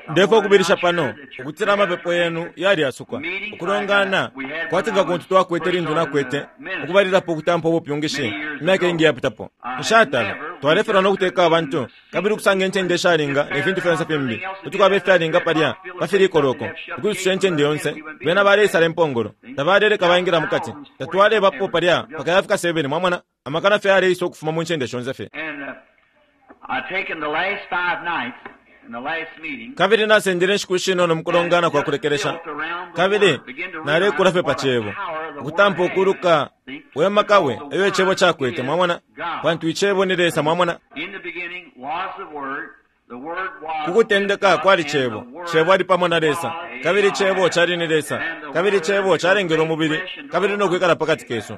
Ndefwaya ukubilisha pano ukutila amapepo yenu yalyasukwa. Ukulongana kwati nga kuntu twakwete lintu nakwete ukubalilapo ukutampa ubupyungishi imyaka iingi iyapitapo. Nshatala. Twalefilwa no kuteka abantu kabili ukusanga incende ishalinga ne fintu fyonse fimbi. Kuti kwaba ifyalinga palya pa filikoloko ukwisusha incende yonse. Bena baleisala impongolo. Tabaleleka baingila mukati. Tatwalebapo palya mpaka yafika 7, mwamona, amakana fye yaleisa ukufuma mu ncende shonse fye. Kabili nasendele inshiku ishinono mukulongana kwa kulekelesha, kabili nalekula fye pa Cebo, ukutampa ukuluka we maka we eyo Icebo cakwete, mwamona, pantu Icebo ni Lesa, mwamona. Ku kutendeka kwali Cebo, Cebo ali pamo na Lesa, kabili Cebo cali ni Lesa, kabili Cebo calengelwe umubili kabili no kwikala pakati kesu.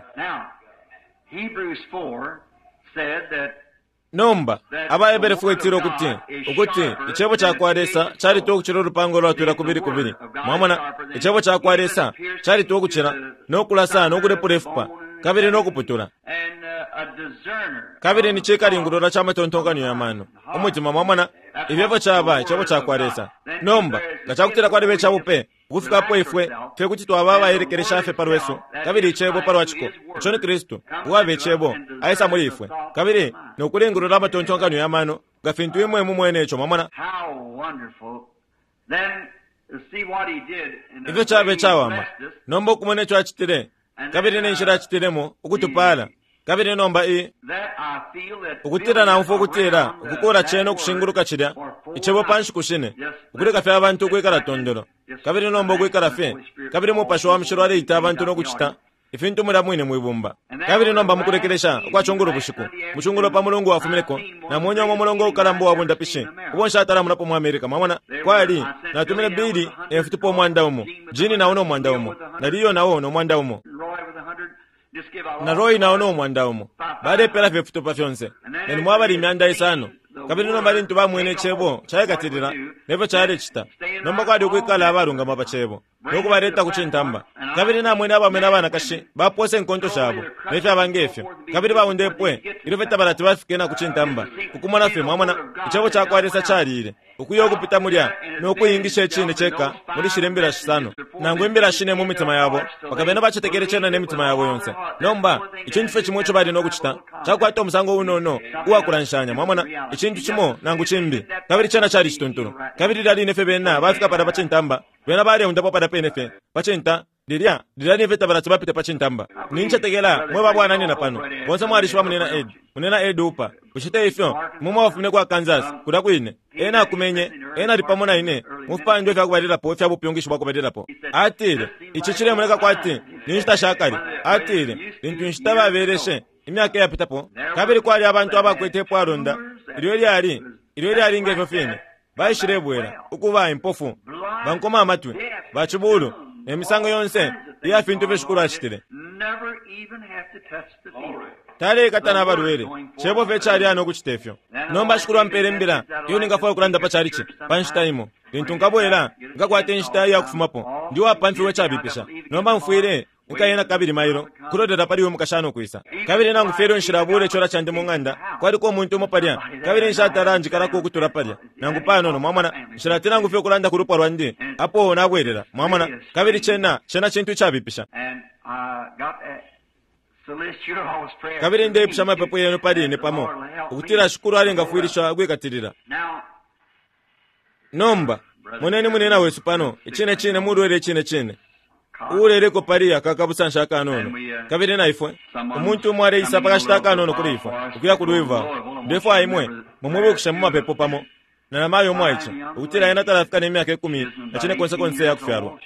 Nomba, AbaHebere 4 itila ukuti, ukuti, Icebo ca kwa Lesa calitwa ukucila ulupanga ulwatwila kubili kubili. Mwamona, Icebo ca kwa Lesa calitwa ukucila, no kulasa no kulepula ifupa, kabili no kuputula. Kabili ni cikalingulula ca matontonkanyo ya mano, umutima, mwamona, ifyo efyo caba Icebo ca kwa Lesa. Nomba, nga cakutila kwaliba icabupe, Ukufika apo ifwe fye kuti twaba abaelekelesha fye pa lwesu, kabili Icebo palwa ciko, ico ni Kristu, uwaba Icebo, aisa muli ifwe, kabili no kulingulula amatontonkanyo ya mano, nga fintu imwe mumwene ico. Mwamona? Ifyo cabe icawama nomba ukumona ico Acitile, kabili ne nshila Acitilemo ukutupaala. Kabili nomba i, ukutila naumfwa ukutila ukukuula cena ukushinguluka cilya Icebo pa nshiku shine, ukuleka fye abantu ukwikala tondolo, kabili nomba ukwikala fye, kabili Mupashi wa Mushilo aleita abantu no kucita ifintu mulya mwine mwi bumba. Kabili nomba mukulekelesha ukwa cungulo bushiku, mu cungulo pa Mulungu wafumineko, namwene umo mulongo ukalamba uwa bundapishi ubo nshatalamonapo mu America. Mwamona? Kwali, natumine Billy ne fitupa 100, Gene nao no 100, na Leo nao no 100. Na Roy nao no 100. Balepela fye ifitupa fyonse, nalimo abali 5,000. Kabili nomba lintu bamwene Icebo caikatilila ne fyo calecita, nomba kwali ukwikala abalungama pa Cebo no kubaleta ku cintamba. Kabili namwene abaume na banakashi bapoosa inkonto shabo ne fyaba nge fyo, kabili baundepwe ilyo fye tabalati bafike na ku cintamba, ku kumona fye, mwamona, Icebo ca kwa Lesa caliile. Ukuya ukupita mulya no kuingisha icine ceka muli shilya imbila shisano nangu imbila shine mu mitima yabo, mpaka bena bacetekele cena ne mitima yabo yonse. Nomba, icintu fye cimo ico bali no kucita cakukwata umusango unono uwa kulanshanya, mwamona, icintu cimo nangu cimbi, kabili cena cali icituntulu. Kabili lilya line fye bena bafika palya pa cintamba, bena baleundapwa palya pene fye pa cinta, Lilya, lilya ni fye tabalati bapite pa cintamba. Nincetekela mwe ba bwananyina pano bonse mwalishiba Munina Ed, Munina Ed Hooper. Bushe te ifyo? Imwe mwabafumine ku Arkansas, kulya kwine. Ena akumenye, ena ali pamo na ine mu fipandwa ifya kubalilapo ifya bupyungishi bwa kubalilapo. Atile, Ici cilemoneka kwati ni nshita sha kale. Atile, Lintu inshita babeleshe, imyaka iyapitapo, kabili kwali abantu abakwete ipwalonda ilyo ilyali, ilyo ilyali nge fyo fine. Baishilebwela, ukuba impofu, bankomamatwi, bacibuulu, ne misango yonse iya fintu ifyo Shikulu acitile. Taleikata na balwele, Cebo fye calyana ukucite fyo. Nomba Shikulu ampele imbila iyo ningafwaya ukulanda pa chalichi pa nshita imo. Lintu nkabwela, nkakwata inshita iya kufumapo. Ndi uwapamfiwa icabipisha. Nomba mfwile Nkaye na kabili mailo, kulolela pali uyu mukashana ukwisa. Kabili nangu fye ilyo nshilabuula icola candi mu ng'anda, kwaliko umuntu umo palya, kabili nshatala njikalako ukutula palya, nangu panono, mwamona. Nshilati nangu fye ukulanda ku lupwa lwandi apo nabwelela, mwamona. Kabili cena, cena cintu icabipisha. Kabili ndeipusha amapepo yenu pali ine pamo, ukutila Shikulu alengafwilisha ukwikatilila. Nomba, moneni munina wesu pano, icine cine mulwele icine cine, uuleleko pali aka kabusanshi akanono. Kabili na ifwe, umuntu umo aleisa pa kashita akanono kuli ifwe, ukuya ku Louisville. Ndefwaya imwe mumwibukishe mu mapepo pamo na namayo umwaice, ukutila ena talafika ne myaka ikumi na cine konse konse iya kufyalwa.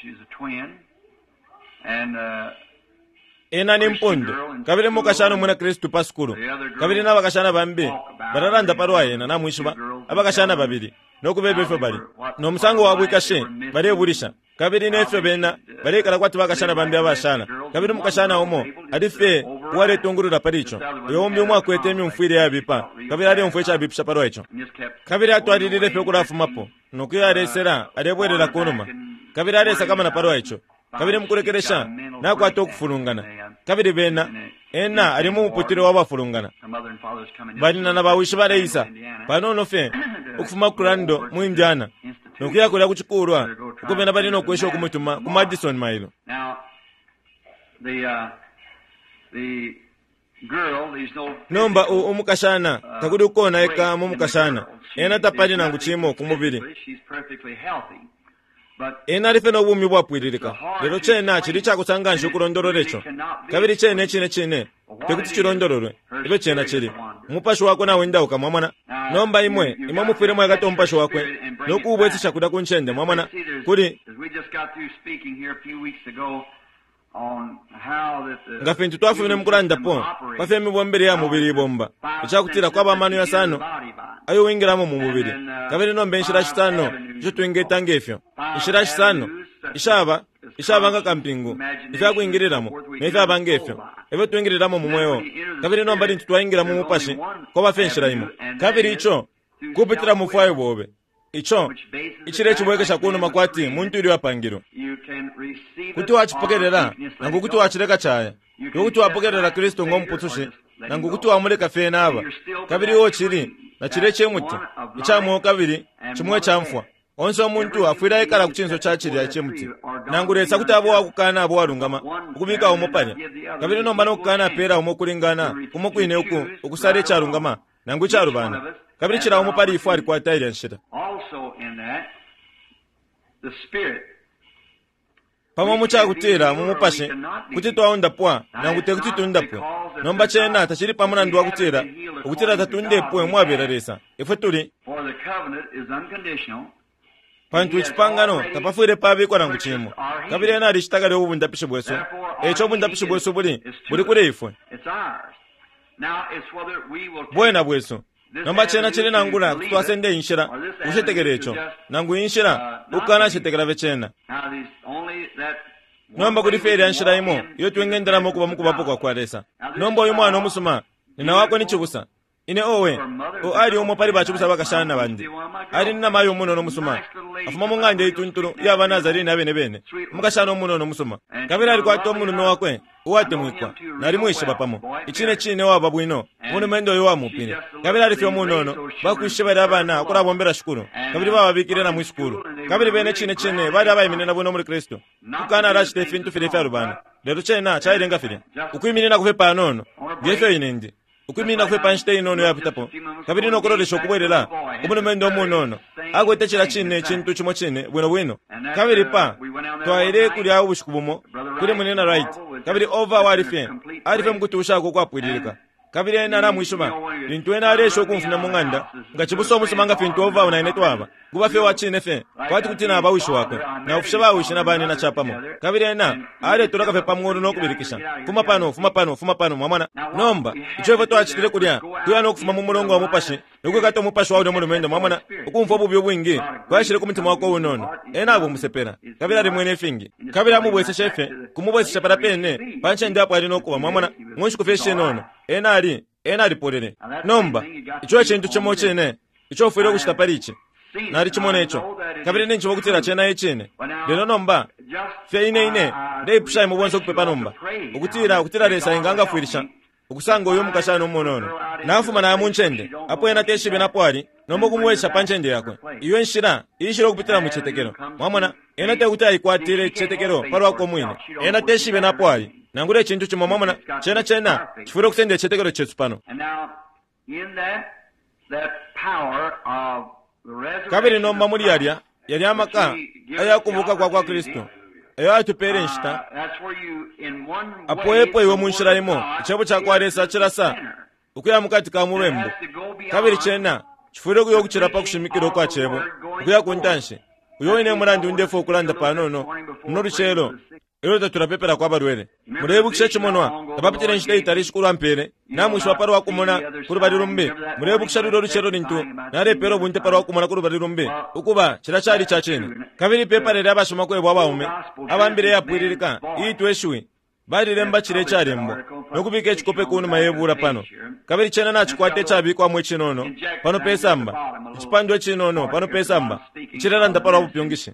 Ena ni mpundu, kabili mukashana umwina Kristu pa sukulu, kabili na bakashana bambi balalanda palwa ena, namwishiba, abakashana babili, no kubeba ifyo bali no musango wa bwikashi balebulisha, kabili ne fyo bena baleikala kwati bakashana bambi abashala. Kabili umukashana umo ali fye uwaletungulula pali ico, uyo umbi umo akwete imyumfwile yabipa, kabili aleumfwa icabipisha palwa ico. Kabili atwalilile fye ukulafumapo, no kuya alesela alebwelela ku numa, kabili alesakamana palwa ico. Kabili mukulekelesha nakwata ukufulungana, kabili bena, ena ali mu muputule wa bafulungana. Banyina na bawishi baleisa panono fye ukufuma ku Crandall mu Indiana, no kuya kulya ku cikulwa uko bena bali no kwesha ukumutuma ku Madison mailo. Nomba u, umukashana, takuli ukonaika mu mukashana. Ena tapali nangu cimo ku mubili. Ena ali fye no bumi ubwapwililika. Lelo cena cili icakosa nganshi ukulondolola ico. Kabili cena icine cine tekuti cilondololwe, ifyo cena cili. Umupashi wakwe nawendauka, mwamona. Nomba imwe, imwe mufwile mwaikata umupashi wakwe no kuubwesesha kulya ku ncende, mwamona. Kuli, nga fintu twafumine mukulandapo pa fyo imibombele ya mubili ibomba, icakutila kwaba amano yasano ayo wingilamo mu mubili, kabili nomba inshila shisano isho twingeta ngefyo, inshila shisano ishaba ishaba nga kampingu, ifya kwingililamo ne fyaba ngefyo efyo twingililamo mu mweo. Kabili nomba lintu twaingila mu mupashi, kwaba fye inshila imo, kabili ico kupitila mu bufwayo bobe. Ico icilecibwekesha kunuma kwati muntu ilyo apangilwe. Kuti wacipokelela nangu kuti wacileka caya. Iwe kuti wapokelela Kristu ngo Mupusushi nangu kuti wamuleka fye ena aba. Kabili iwe ucili na cilya icimuti ica mweo kabili cimo ica mfwa. Onse umuntu afwile aikala ku cinso ca cilya icimuti. Nangu Lesa kuti aba uwakukana aba uwalungama ukubika umo palya, kabili nomba no kukanapela umo ukulingana kumo kwine uku ukusala icalungama nangu icalubana. Kabili cila umo pali ifwe alikwata ilya nshila. Pamo mu cakutila mu mupashi kuti twaundapwa nangu te kuti tundapwe. Nomba cena tacili pa mulandu wa kutila ukutila tatundepwe umwabela Lesa. Ifwe tuli. Pantu icipangano tapafwile pabikwa nangu cimo. Kabili ena alicita kale ubundapishi bwesu. Eico ubundapishi bwesu buli buli kuli ifwe. Bwena bwesu. Nomba cena cili nangula kuti twasenda inshila ukucetekela ico, nangu inshila ukukanacetekela fye cena. Nomba kuli fye ilya nshila imo iyo twingendelamo ukuba mu kubapo kwa kwa Lesa. Nomba uyu mwana umusuma, nina wakwe ni cibusa. Ine owe, o ali umo pali bacibusa abakashana bandi. Ali ni namayo umunono umusuma. Afuma mu ng'anda ituntulu iya ba Nazarene abene bene. Umukashana umunono umusuma. Kabili alikwata umulume wakwe uwatemwikwa. Nalimwishiba pamo. Icine cine waba bwino. Umulumendo uyo uwamupile. Kabili ali fye umunono. Bakwishe bali abana ukulabombela Shikulu. Kabili bababikile na mwi sukulu. Kabili bene cine cine bali abaiminina bwino muli Kristu. Ukukana alacita ifintu filya ifyalubana. Lelo cena cailenga filya. Ukwiminina fye panono. Nge fyo ine ndi. Ukwiminina fye pa nshita inono iyapitapo, kabili no kulolesha ukubwelela, umulumendo umunono akwete cila cine icintu cimo cine bwino bwino. Kabili pa, twaile kulya ubushiku bumo, kuli Munyina Wright, kabili Ova wali fye, ali fye mukutushako ukwapwililika. Kabili ena namwishiba, lintu ena aleesha ukumfumya mu ng'anda, nga cibusa umusuma nga fintu Ova na ine twaba, kuba fye uwa cine fye, kwati kuti naba wishi wakwe, naufishe ba wishi na banina capamo. Kabili ena aletoloka fye pa mulu no kubilikisha, Fuma pano, fuma pano, fuma pano, mwamona. Nomba, ico ifwe twacitile kulya, kuya no kufuma mu mulongo wa mupashi, no kwikata umupashi wa ulya mulumendo, mwamona, ukumfwa ububi ubwingi bwaishile ku mutima wakwe unono. Ena aba umusepela, kabili alimwene ifingi. Kabili amubweseshe fye, kumubwesesha palya pene pa ncende apo ali no kuba, mwamona, mu nshiku fye ishinono. Ena ali, ena alipolele. Nomba, ico e cintu cimo cine ico ufwile ukucita pali ici. Nalicimona ico, kabili ninjishiba ukutila cena e cine. Lelo nomba, fye ine, ine ndeipusha imwe bonse ukupepa nomba, ukutila, ukutila Lesa engangafwilisha ukusanga uyu mukashana umunono. Nafuma naya mu ncende apo ena teshibe napo ali, nomba ukumubwesha pa ncende yakwe. Iyo enshila iishila ukupitila mu cicetekelo. Mwamona, ena tekuti aikwatile icicetekelo palwakwe umwine. Ena teshibe napo ali, nangula icintu cimo. Mwamona, cena, cena cifwile ukusenda icicetekelo cesu pano. Kabili nomba muli yalya, yalya amaka aya kubuka kwa kwa Kristu, ayo atupele inshita, apo epo iwe munshila imo, Icebo cakwa Lesa cilasa ukuya mukati ka mubembu, kabili cena cifwile ukuya ukucila pa kushimikila ukwa Cebo, ukuya ku ntanshi. Uyo wine e mulandu ndefwaya ukulanda panono muno lucelo ilyo tatulapepelako abalwele. Muleibukisha icimonwa? Tapapitile inshita itali Shikulu ampele, namwishiba palwa kumona ku lubali lumbi. Muleibukisha lulyo lucelo lintu nalepeela ubunte palwa kumona ku lubali lumbi? Ukuba, cilya cali ica cine. Kabili ipepala lya bashimakwebo abaume aba Mbila Iyapwililika iitwa Ishiwi balilemba cilya icalembwa no kubika icikope kunuma ye bula pano. Kabili cena nacikwata icabikwamo icinono pano pe samba, icipandwa icinono pano pe samba, icilelanda palwa bupyungishi.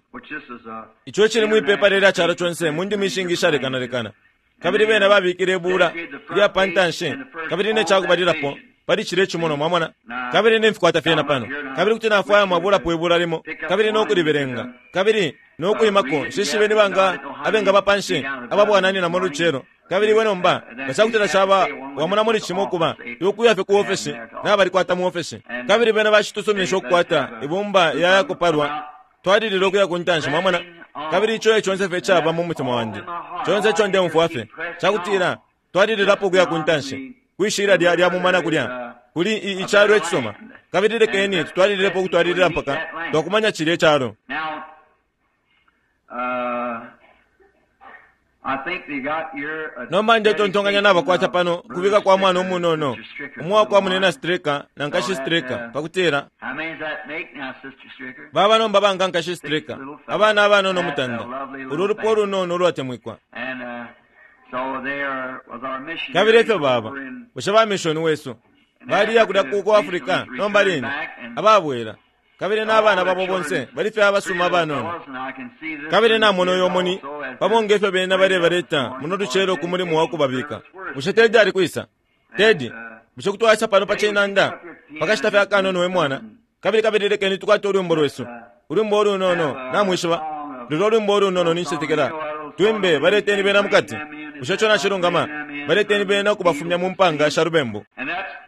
Ico icili mwi pepala ilya calo conse mu ndimi ishingi ishalekanalekana. Kabili bena babikile ibula ilya pa ntanshi kabili ne cakubalilapo. pali cilye cimonwa, mwamona. Kabili nimfikwata fyena pano. Kabili kuti nafwaya mwabulapo ibula limo, kabili no kulibelenga, kabili no kwimako. Nshishibe ni banga abengaba panshi ababwananyina muno lucelo. Kabili iwe nomba, nga cakutila caba wamona muli cimo ukuba, iwe kuya fye ku ofeshi, nabalikwata mu ofeshi. Kabili bena bacitusuminisha ukukwata ibumba ya yakupalwa, twalilila ukuya ku ntanshi, mwamona. Kabili ico e conse fye icaba mu mutima wandi. Conse ico ndeumfwa fye, cakutila, twalililapo ukuya ku ntanshi, kwi shilya lya, lya mumana kulya, kuli i, icalo icisuma. Kabili lekeni tutwalililepo ukutwalilila mpaka twakumanya cilye calo. Nomba ndetontonkanya nabakwata pano ukubika kwa mwana umunono, umo wakwa Munina Stricker na Nkashi Stricker, pakutila baba nomba banga Nkashi Stricker, abana abanono mutanda, ulu lupwa ulunono ulwatemwikwa. Kabili efyo baba, bushe ba mishoni wesu baliya kulya ku, ku Africa nomba line, ababwela, kabili na bana babo bonse bali fye abasuma abanono. Kabili namona uyo muni, pamo nge fyo bena balebaleta muno lucelo ku mulimo wa kubabika. Bushe Teddy ali kwisa? Teddy, bushe kuti waisa pano pa cinanda pa kashita fye akanono, we mwana? Kabili, kabili lekeni tukwate ulwimbo lwesu, ulwimbo ulunono, namwishiba, lulyo lwimbo ulunono, nincetekela. Twimbe, Baleteni Bena Mukati. Bushe ico nacilungama? Baleteni bena ukubafumya mu mpanga sha lubembu.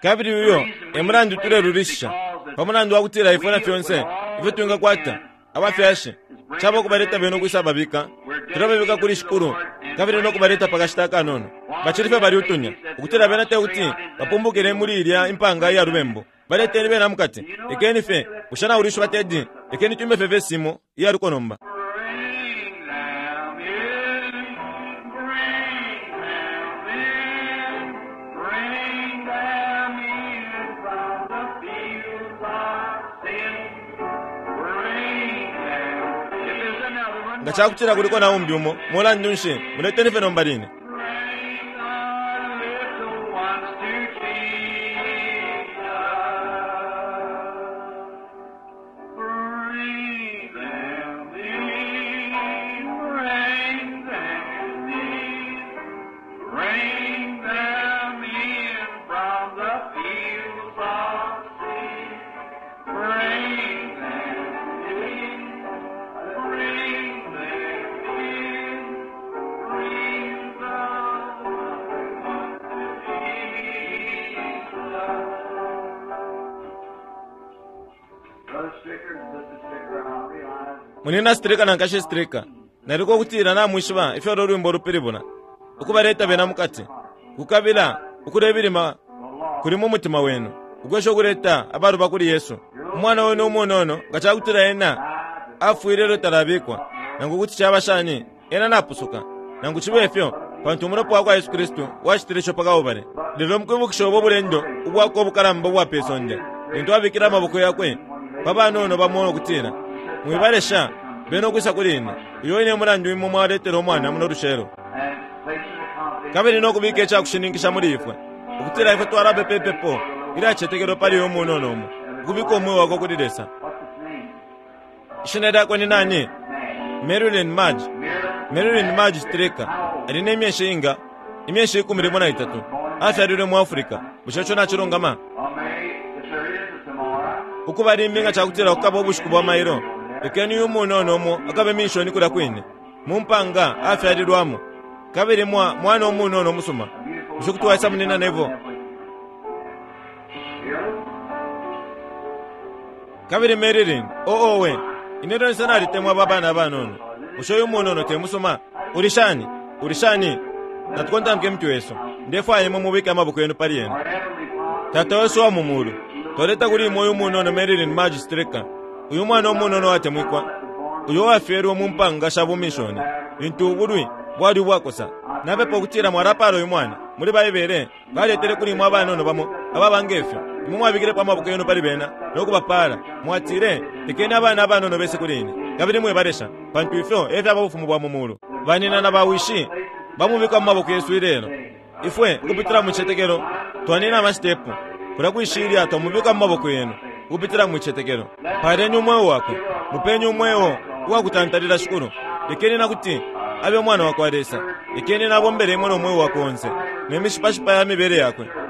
Kabili uyo e mulandu tulelulishisha, pa mulandu wa kutila ifwe na fyonse ifyo twingakwata, abafyashi, caba ukubaleta bena ukwisababika. Tulababika kuli Shikulu kabili no kubaleta pa kashita akanono. Bacili fye bali utunya, ukutila bena te kuti bapumbukile muli ilya impanga iya lubembu. Baleteni bena mukati. Lekeni fye, bushe naulishiba, Teddy? Lekeni twimbe fye vesi imo iya luko nomba. Bring them in, bring them in, bring them in from the fields of sin. Bring them. If there's another one, Nga cakutila kuliko na umbi umo, mulandu nshi, muleteni fye nomba line. bring the little ones to Jesus. Bring them in, bring them in, bring them in from the fields of sin. Bring them in, bring them in, bring the ones to Jesus. Brother Stricker and Sister Stricker, I realize Munina Stricker na Nkashi Stricker, naliko ukutila namwishiba ifyo ulo lwimbo lupilibula, ukubaleta bena mukati. Kukabila ukulebilima kuli mu mutima wenu, ukwesha ukuleta abaluba kuli Yesu. Umwana wenu umunono, nga cakutila ena afwile ilyo talabikwa, nangu kuti caba shani, ena napusuka, nangu cibe fyo, pantu umulopa wa kwa Yesu Kristu wacitile ico pa Kalbale. Lelo mukwibukisha ubo bulendo ubwakwe ubukalamba ubwa pe sonde, lintu abikile amaboko yakwe pa banono bamo no kutila, Mwibalesha bena ukwisa kuli ine. Uyo wine e mulandu imwe mwaletela umwana muno lucelo. and placing the confidence Kabili no kubika ica kushininkisha muli ifwe, ukutila ifwe twalapepa ipepo ilyacetekelwa pali uyu munono umo, ukubika umweo wakwe kuli Lesa. What's his name? Ishina lyakwe ni nani? Marilyn Marilyn Madge. Marilyn Madge Stricker. Ali ne myeshi inga? Imyeshi 13. Afyalilwe mu Africa. Bushe ico nacilungama? Or Mary, if there is a tomorrow, Ukuba limbi nga cakutila kukaba ubushiku bwa mailo, lekeni uyu munono umo akabe minshoni kulya kwine, mu mpanga afyalilwamo. Kabili mwa, mwana umunono umusuma. Bushe kuti waisa, Munina Neville? Kabili Marilyn, oh owe, ine lyonse nalitemwa aba bana abanono. Bushe uyu munono te musuma? Uli shani? Uli shani? Natukontamike imitwe yesu. Ndefwaya imwe mubike amaboko yenu pali ena. Our Heavenly Father, Tata wesu wa mu mulu, twaleta kuli imwe uyu munono Marilyn Madge Stricker, uyu mwana umunono watemwikwa, uyo uwafyelwe mu mpanga sha bumishoni, lintu ubulwi bwali ubwakosa. Napepa ukutila mwalapaala uyu mwana. Muli Baibele, baletele kuli imwe abanono bamo ababa nge fyo. Imwe mwabikilepo amaboko yenu pali bena no kubapaala. Mwatile, Lekeni abana abanono bese kuli ine, kabili mwibalesha, pantu ifyo e fyaba bufumu bwa mu mulu. Banina na bawishi bamubika mu maboko yesu ilelo. Ifwe, ukupitila mu citetekelo, twanina amasitepu kulya kwishilya, twamubika mu maboko yenu ukupitila mu citetekelo. Paleni umweo wakwe, mupeni umweo uwakutantalila, Shikulu. Lekeni na kuti abe umwana wa kwa Lesa. Lekeni nabombele imwe no mweo wakwe onse ne mishipashipa ya mibele yakwe.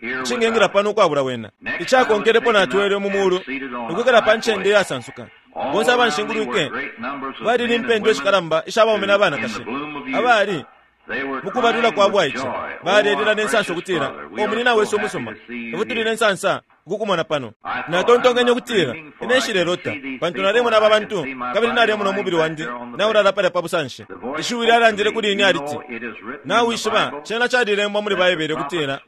Nshingengila pano ukwabula wena. Icakonkelepo natwelwe mu mulu, ukwikala pa ncende iyasansuka. Bonse abanshingulwike bali ni mpendwa ishikalamba isha baume na banakashi abali. Mu kubalula kwa bwaice, balelila ne nsansa ukutila, O munyina wesu umusuma, ifwe tuli ne nsansa ukukumona pano. Natontonkenye ukutila, Ine nshilelota, pantu nalemona aba bantu, kabili nalemona umubili wandi naulala palya pa busanshi. Ishiwi lyalandile kuli ine aliti, Nawishiba, cena calilembwa muli Baibele ukutila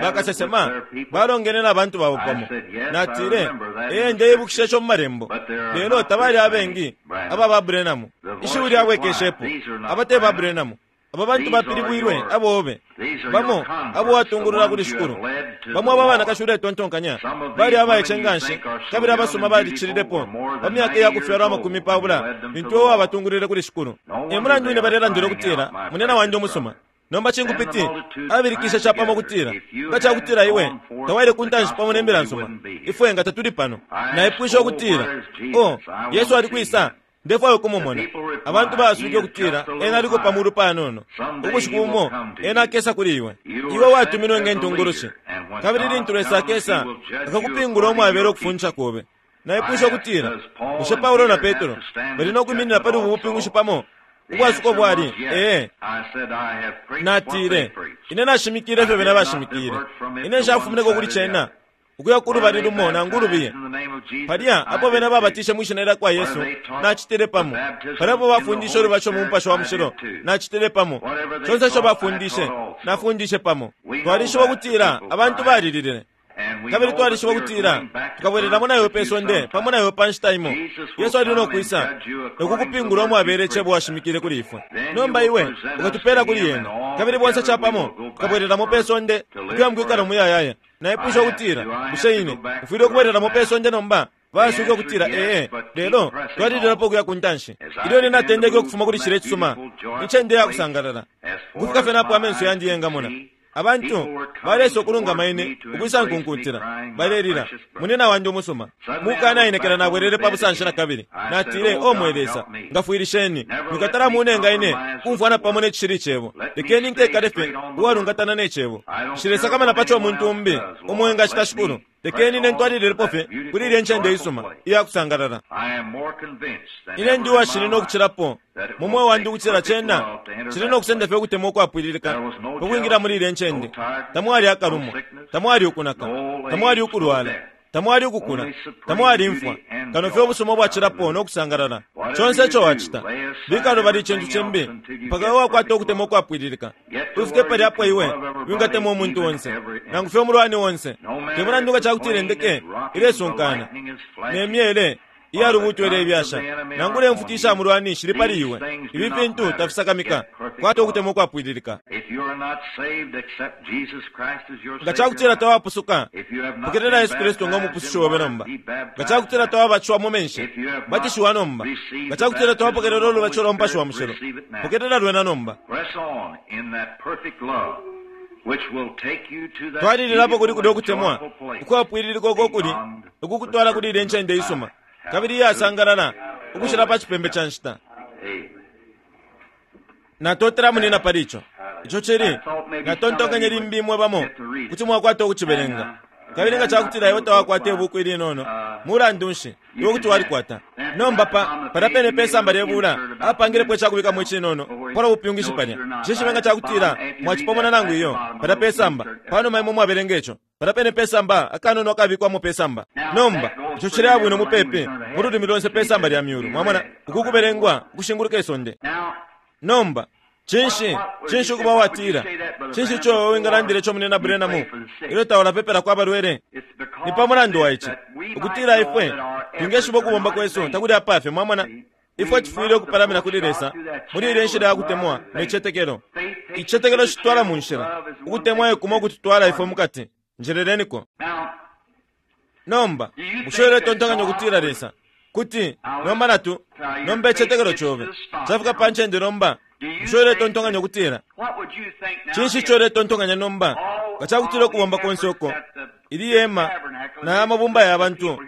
bakasesema balongene na bantu babo pamo. Natile, Ee, ndeibukisha ico mu Malembo, lelo tabali abengi aba ba Branham. Ishiwi lyabwekeshepo, Aba te ba Branham. Aba bantu bapilibwilwe abobe, bamo abo watungulula kuli Shikulu. Bamo aba banakashi uletontonkanya bali abaice nganshi kabili abasuma balicililepo pa myaka iya kufyalwa 20 lintu iwe wabatungulwile kuli Shikulu. E mulandu wine balelandila ukutila, Munyina wandi umusuma. Nomba cinkupiti abilikishe capamo ukutila, Nga cakutila iwe tawaile ku ntanshi pamo ne Mbila nsuma, ifwe nga tatuli pano. Naipwishe ukutila, Oh, Yesu ali kwisa? Ndefwaya ukumumona. Abantu baaswike ukutila, Ena aliko pa mulu panono. Ubushiku bumo Ena akesa kuli iwe. Iwe watuminwe nge ntungulushi. Kabili lintu Lesa akesa, akakupingula umwabela ukufundisha kobe. Naipwishe ukutila, Bushe Paulo na Petro bali no kwiminina pali ubu bupingushi pamo? Ubwasuko bwali, Ee. Natile, Ine nashimikile ifyo bena bashimikile. Ine nshafumineko kuli cena ukuya ku lubali lumo nangu ulubiye. Palya apo bena babatishe mwi Shina lyakwa Yesu, nacitile pamo. Palya apo bafundishe ulubatisho mu Mupashi wa Mushilo, nacitile pamo. Conse ico bafundishe, nafundishe pamo. Twalishiba ukutila abantu balililile. Kabili twalishiba ukutila tukabwelelamo na iwe pe sonde pamo na iwe pa nshita imo. Yesu ali no kwisa no kukupingula umwabela icebo washimikile kuli ifwe. Nomba iwe ukatupela kuli ena, kabili bonse capamo tukabwelelamo pe sonde ukuya mukwikala umuyayaya. Naipwishe ukutila, Bushe ine mfwile ukubwelelamo pe sonde nomba? Baaswike ukutila, Ee, lelo twalililapo ukuya ku ntanshi. Ilyo ine natendeke ukufuma kuli cilya icisuma, incende ya kusangalala, ukufika fye napo amenso yandi yengamona, abantu baleisa ukulungama ine ukwisa nkunkuntila, balelila, Munyina wandi umusuma! Mukanaenekela nabwelele pa busanshi na kabili. Natile, O mwe Lesa, ngafwilisheni. Mwikatala munenga ine ukumfwana pamo ne cishili Cebo. Lekeni nkekale fye uwalungatana ne Cebo. Nshilesakamana pa co umuntu umbi umo engacita, Shikulu. Lekeni ine ntwalililepo fye kuli ilye ncende isuma iya kusangalala. Ine ndi uwashininwa ukucilapo mu mweo wandi ukutila cena cili no kusenda fye ukutemwa ukwapwililika pa kwingila muli ilye ncende. Tamwali akalumwa, tamwali ukunaka, tamwali ukulwala, tamwali ukukula, tamwali imfwa, kano fye ubusuma ubwacilapo no kusangalala. Conse ico wacita, bika lubali icintu cimbi mpaka iwe wakwata ukutemwa ukwapwililika. Ufike palya apo iwe wingatemwa umuntu onse, nangu fye umulwani onse, te mulandu nga ca kutila indeke ilesunkana ne myele iya lubuuto ilebyasha, nangula imfuti isha mulwani shili pali iwe. Ifi fintu tafisakamika. Kwata ukutemwa ukwapwililika. Nga ca kutila tawapusuka, pokelela Yesu Kristu ngo Mupusushi obe nomba. Nga ca kutila tawabatishiwa mu menshi, batishiwa nomba. Nga ca kutila tawapokelela ulubatisho lwa Mupashi wa Mushilo, pokelela lwena nomba. Twalililapo kuli kulya ukutemwa ukwapwililika uko kuli ukukutwala kuli ilya ncende isuma kabili iyasangalala ukucila pa cipembe ca nshita. Natotela munina pali ico. Ico cili, natontonkenye limbi imwe bamo kuti mwakwata ukucibelenga. Kabili nga ca kutila iwe tawakwata ibuku ilinono, mulandu nshi, iwe kuti walikwata. Nomba pa, palya pene pe samba lye bula, apangilepo icakubikamo icinono palwa bupyungishi palya. Nshishibe nga ca kutila mwacipomona nangu iyo, palya pe samba, panuma imwe mwabelenga ico. Palya pene pe samba, akanono akabikwamo pe samba. Nomba, ico cileya bwino mupepi mu lulimi lonse pe samba lya myulu, mwamona, uku kubelengwa ukushinguluka isonde. Nomba, cinshi, cinshi ukuba uwatila, Cinshi ico iwe wingalandila ico, Munyina Branham, ilyo taulapepelako abalwele? Ni pa mulandu wa ici, ukutila ifwe twingeshiba ukubomba kwesu takuli apafye, mwamona. Ifwe tufwile ukupalamina kuli Lesa muli ilya inshila ya kutemwa ne citetekelo. Icitetekelo citutwala mu nshila, ukutemwa e kumo ukututwala ifwe mukati. Njeleleniko. Nomba, bushe uletontonkanya ukutila Lesa kuti nomba natu nomba icitetekelo cobe cafika pa ncende nomba? Bushe uletontonkanya ukutila cinshi ico uletontonkanya nomba nga cakutila ukubomba konse uko ili hema na ya mabumba ya bantu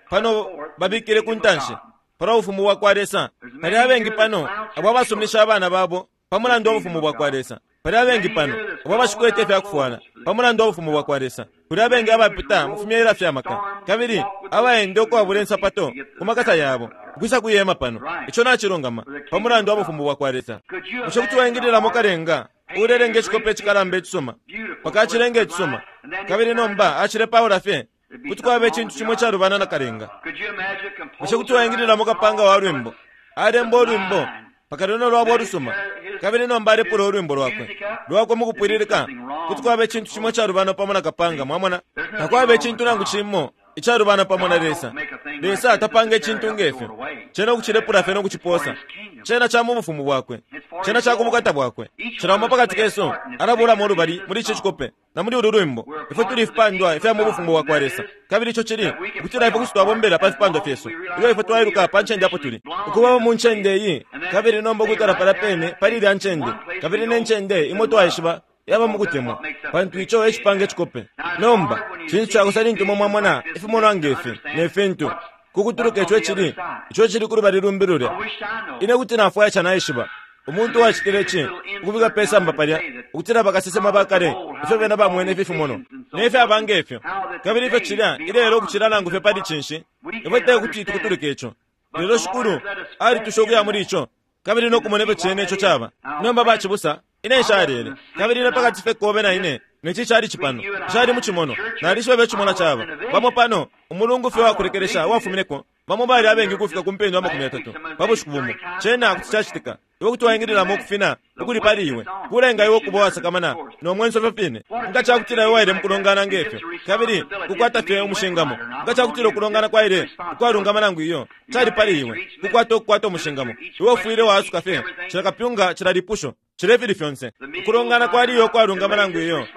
pano babikile ku ntanshi palwa Bufumu bwa kwa Lesa? Pali abengi pano abo abasuminisha abana babo pa mulandu wa Bufumu bwa kwa Lesa. Pali abengi pano abo abashikwete ifya kufwala pa mulandu wa Bufumu bwa kwa Lesa. Kuli abengi abapita mu fimyela fya maka kabili abaenda ukwabula insapato ku makasa yabo ukwisa kwi hema pano. Ico nacilungama, pa mulandu wa Bufumu bwa kwa Lesa. Bushe kuti waingililamo kalenga? Uulelenga icikope icikalamba icisuma, mpaka acilenga icisuma, kabili nomba acilepaula fye, kuti kwaba icintu cimo icalubana na kalenga. Bushe kuti waingililamo kapanga wa lwimbo alemba ulwimbo mpaka lwena lwaba ulusuma, kabili nomba alepula ulwimbo lwakwe lwakwe mukupwililika? Kuti kwaba icintu cimo icalubana pamo na kapanga. Mwamona, takwaba icintu nangu cimo icalubana pamo na Lesa. Lesa tapanga icintu ngefyo cena ukucilepula fye no kuciposa. Cena ca mu bufumu bwakwe, cena ca kubukata bwakwe. Cila umo pakati kesu alabulamo ulubali muli ici cikope na muli ulu lwimbo. Ifwe tuli ifipandwa ifya mu bufumu bwakwa Lesa, kabili ico cili ukutila ifwe kuti twabombela pa fipandwa fyesu ilyo ifwe twailuka pa ncende apo tuli, ukubamo mu ncende iyi, kabili nomba ukwikala palya pene pali ilya ncende, kabili ne ncende imo twaishiba yaba mukutemwa, pantu ico e cipanga icikope. Nomba cintu cakosa lintu imwe mwamona ifimonwa nge fi ne fintu, ku kutuluka ico icili, ico icili ku lubali lumbi lulya. Ine kuti nafwaya ca naishiba umuntu uwacitile ici, ukubika pe samba palya, ukutila bakasesema ba kale, ifyo bena bamwene ifi fimonwa ne fyaba nge fyo, kabili ifyo cilya ilelo ukucila nangu fye pali cinshi. Ifwe te kuti tukutuluke ico, lelo Shikulu alitusha ukuya muli ico kabili no kumona ifyo cene ico caba. Nomba, bacibusa, ine nshalele, kabili ine pakati fye kobe na ine ne ci cali cipano, nshali mu cimonwa. Nalishiba ifyo icimonwa caba. Bamo pano, umulungu fye uwakulekelesha uwafumineko, bamo bali abengi ukufika ku mpendwa 30 pa bushiku bumo. Cena kuti cacitika. Iwe kuti waingililamo ukufina ukuli pali iwe, kulenga iwe ukuba uwasakamana no mwenso ifyo fine. Nga cakutila iwe waile mukulongana nge fyo, kabili kukwata fye umushingamo, nga cakutila ukulongana kwaile ukwalungama nangu iyo, cali pali iwe kukwata ukukwata umushingamo. Iwe ufwile waasuka fye cila kapyunga, cila lipusho, cila ifili fyonse. Ukulongana kwali iyo ukwalungama nangu iyo,